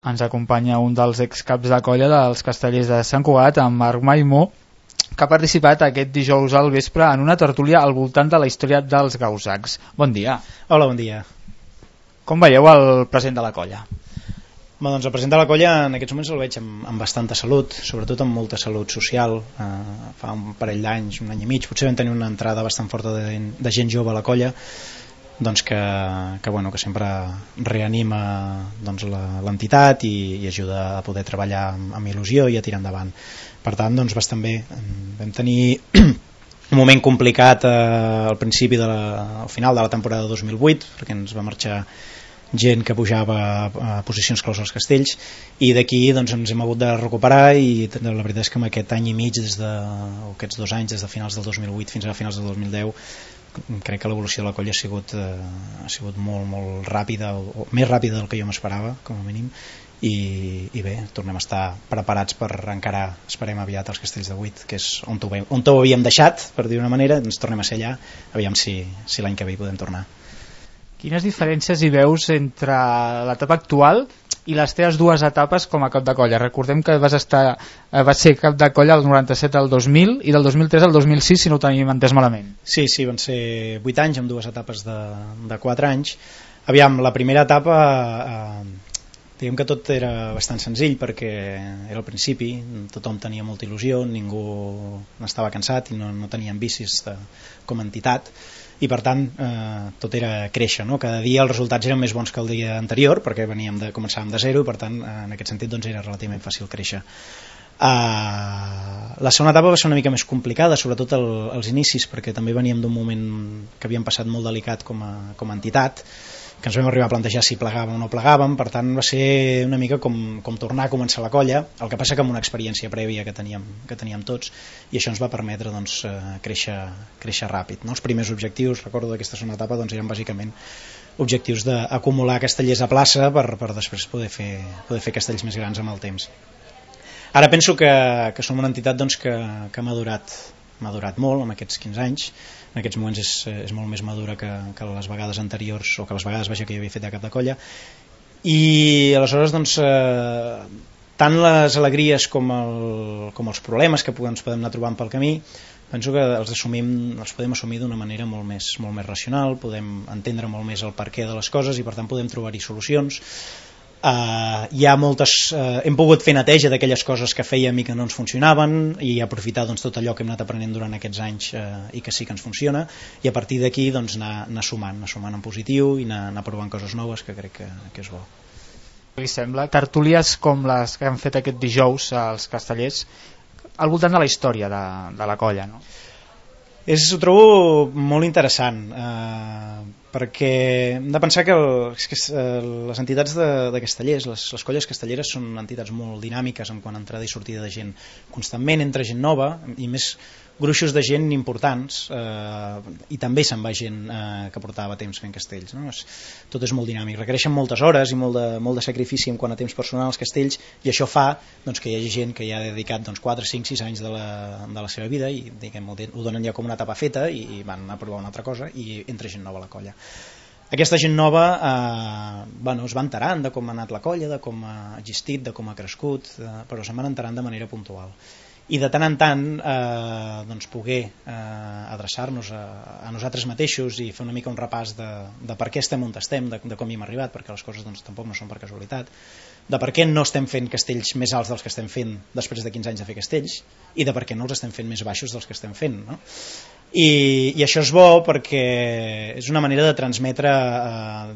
ens acompanya un dels excaps de colla dels Castellers de Sant Cugat, en Marc Maimó, que ha participat aquest dijous al vespre en una tertúlia al voltant de la història dels gausacs. Bon dia. Hola, bon dia. Com veieu el present de la colla? Doncs el present de la colla en aquests moments el veig amb bastanta salut, sobretot amb molta salut social. Fa un parell d'anys, un any i mig, potser vam tenir una entrada bastant forta de gent jove a la colla, doncs que sempre reanima doncs, l'entitat i ajuda a poder treballar amb il·lusió i a tirar endavant. Per tant, doncs, bastant bé. Vam tenir un moment complicat al principi al final de la temporada 2008, perquè ens va marxar gent que pujava a posicions claus als castells, i d'aquí doncs, ens hem hagut de recuperar, i la veritat és que amb aquest any i mig, aquests 2 anys, des de finals del 2008 fins a finals del 2010, crec que l'evolució de la colla ha sigut molt, molt ràpida, o més ràpida del que jo m'esperava, com a mínim, i bé, tornem a estar preparats per encarar, esperem aviat, els Castells de 8, que és on ho havíem deixat, per dir una manera, ens tornem a ser allà, aviam si l'any que ve hi podem tornar. Quines diferències hi veus entre l'etapa actual i les teves 2 etapes com a cap de colla? Recordem que vas ser cap de colla del 97 al 2000 i del 2003 al 2006, si no ho tenim entès malament. Sí, van ser 8 anys amb 2 etapes de 4 anys. Aviam, la primera etapa diguem que tot era bastant senzill, perquè era al principi, tothom tenia molta il·lusió, ningú n'estava cansat i no tenien vicis com a entitat, i per tant tot era créixer, no? Cada dia els resultats eren més bons que el dia anterior, perquè començàvem de zero, i per tant en aquest sentit doncs, era relativament fàcil créixer. La segona etapa va ser una mica més complicada, sobretot als inicis, perquè també veníem d'un moment que havíem passat molt delicat com a entitat, que ens vam arribar a plantejar si plegàvem o no plegàvem. Per tant va ser una mica com tornar a començar la colla, el que passa que amb una experiència prèvia que teníem tots, i això ens va permetre doncs, créixer ràpid, no? Els primers objectius, recordo d'aquesta segona etapa, doncs, eren bàsicament objectius d'acumular castellers a plaça per després poder fer castells més grans amb el temps. Ara penso que som una entitat doncs, que ha madurat molt en aquests 15 anys. En aquests moments és molt més madura que les vegades anteriors, o que les vegades que jo havia fet de cap de colla, i aleshores doncs, tant les alegries com els problemes que ens podem anar trobant pel camí, penso que els podem assumir d'una manera molt més racional, podem entendre molt més el perquè de les coses, i per tant podem trobar-hi solucions. Hem pogut fer neteja d'aquelles coses que fèiem i que no ens funcionaven, i aprofitar doncs, tot allò que hem anat aprenent durant aquests anys i que sí que ens funciona, i a partir d'aquí doncs, anar sumant en positiu i anar provant coses noves, que crec que és bo. Li sembla tertúlies com les que han fet aquest dijous als Castellers al voltant de la història de la colla, no? Ho trobo molt interessant, perquè hem de pensar que les entitats de castellers, les colles castelleres, són entitats molt dinàmiques en quant a entrada i sortida de gent. Constantment entra gent nova, i més gruixos de gent importants, i també se'n va gent que portava temps fent castells, no? Tot és molt dinàmic, requereixen moltes hores i molt de sacrifici en quant a temps personal als castells, i això fa doncs, que hi hagi gent que ja ha dedicat 4, 5, 6 anys de la seva vida, i ho donen ja com una etapa feta, i van a provar una altra cosa, i entra gent nova a la colla. Aquesta gent nova es va enterant de com ha anat la colla, de com ha existit, de com ha crescut, però se'n van enterant de manera puntual. I de tant en tant doncs poder adreçar-nos a nosaltres mateixos i fer una mica un repàs de per què estem on estem, de com hi hem arribat, perquè les coses doncs, tampoc no són per casualitat, de per què no estem fent castells més alts dels que estem fent després de 15 anys de fer castells, i de per què no els estem fent més baixos dels que estem fent, no? I això és bo perquè és una manera de transmetre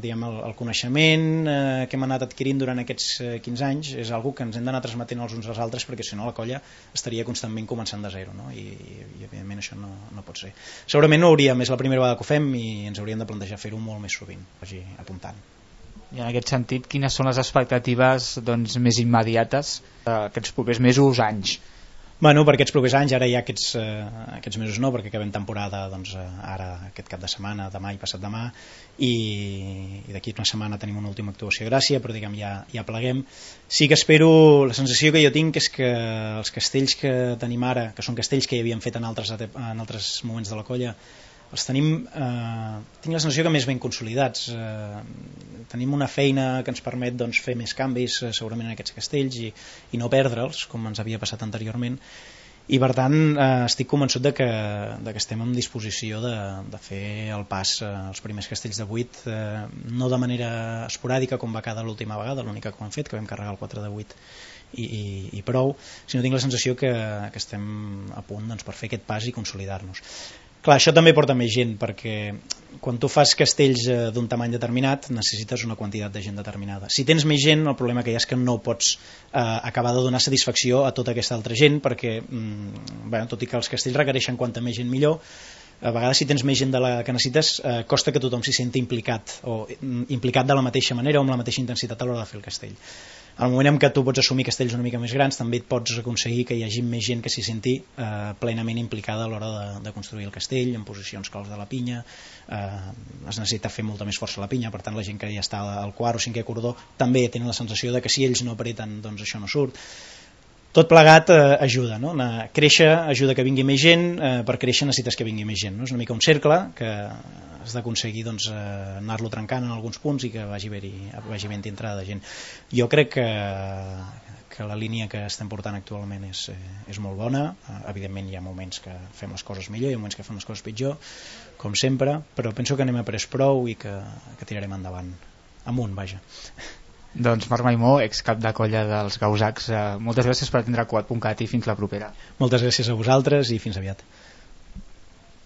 el coneixement que hem anat adquirint durant aquests 15 anys. És algo que ens hem d'anar transmetent els uns als altres, perquè si no la colla estaria constantment començant de zero, no? I evidentment això no pot ser. Segurament no és la primera vegada que ho fem, i ens hauríem de plantejar fer-ho molt més sovint, vagi apuntant. I en aquest sentit, quines són les expectatives doncs, més immediates d'aquests propers mesos, anys? Per aquests propers anys, ara ja aquests mesos no, perquè acabem temporada doncs, ara aquest cap de setmana, demà i passat demà, i d'aquí una setmana tenim una última actuació a Gràcia, però diguem ja pleguem. Sí que espero, la sensació que jo tinc és que els castells que tenim ara, que són castells que hi havíem fet en altres moments de la colla, els tenim, tinc la sensació que més ben consolidats. Tenim una feina que ens permet doncs, fer més canvis segurament en aquests castells i no perdre'ls, com ens havia passat anteriorment, i per tant estic convençut de que estem en disposició de fer el pas als primers castells de 8, no de manera esporàdica com va cada l'última vegada, l'única que ho hem fet, que vam carregar el 4 de 8 i prou, sinó tinc la sensació que estem a punt doncs, per fer aquest pas i consolidar-nos. Clar, això també porta més gent, perquè quan tu fas castells d'un tamany determinat necessites una quantitat de gent determinada. Si tens més gent, el problema que hi ha és que no pots acabar de donar satisfacció a tota aquesta altra gent, perquè tot i que els castells requereixen quanta més gent millor, a vegades si tens més gent de la que necessites costa que tothom s'hi senti implicat, o implicat de la mateixa manera o amb la mateixa intensitat a l'hora de fer el castell. Al moment en què tu pots assumir castells una mica més grans, també et pots aconseguir que hi hagi més gent que s'hi senti plenament implicada a l'hora de construir el castell, en posicions claus de la pinya. Es necessita fer molta més força a la pinya, per tant la gent que ja està al quart o cinquè cordó també tenen la sensació de que si ells no apreten doncs això no surt. Tot plegat ajuda, no? Créixer ajuda que vingui més gent, per créixer necessites que vingui més gent, no? És una mica un cercle que has d'aconseguir doncs, anar-lo trencant en alguns punts i que vagi ben-hi entrada de gent. Jo crec que la línia que estem portant actualment és molt bona. Evidentment hi ha moments que fem les coses millor, hi ha moments que fem les coses pitjor, com sempre, però penso que anem a pres prou i que tirarem endavant, amunt, vaja. Doncs Marc Maimó, excap de colla dels Gausacs, moltes gràcies per atendre Cuat.cat i fins la propera. Moltes gràcies a vosaltres i fins aviat.